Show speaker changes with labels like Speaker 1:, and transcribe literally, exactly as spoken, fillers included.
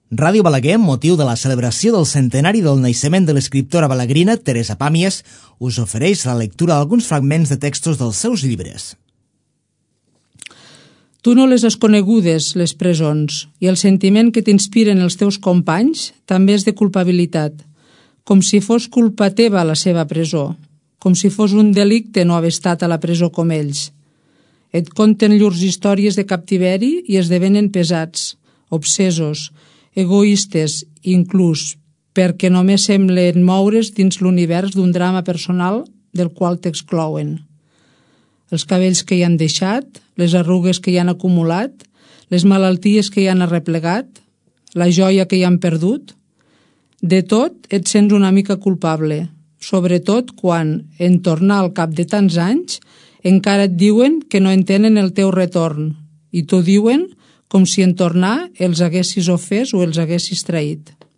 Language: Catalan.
Speaker 1: Ràdio Balaguer, amb motiu de la celebració del centenari del naixement de l'escriptora balaguerina Teresa Pàmies, us ofereix la lectura d'alguns fragments de textos dels seus llibres.
Speaker 2: Tu no les has conegudes, les presons, i el sentiment que t'inspiren els teus companys també és de culpabilitat, com si fos culpa teva la seva presó, com si fos un delicte no haver estat a la presó com ells. Et conten llurs històries de captiveri i esdevenen pesats, obsesos, egoistes, inclús, perquè només semblen moure's dins l'univers d'un drama personal del qual t'exclouen. Els cabells que hi han deixat, les arrugues que hi han acumulat, les malalties que hi han arreplegat, la joia que hi han perdut. De tot et sents una mica culpable, sobretot quan, en tornar al cap de tants anys, encara et diuen que no entenen el teu retorn, i t'ho diuen com si en tornar els haguessis ofès o els haguessis traït.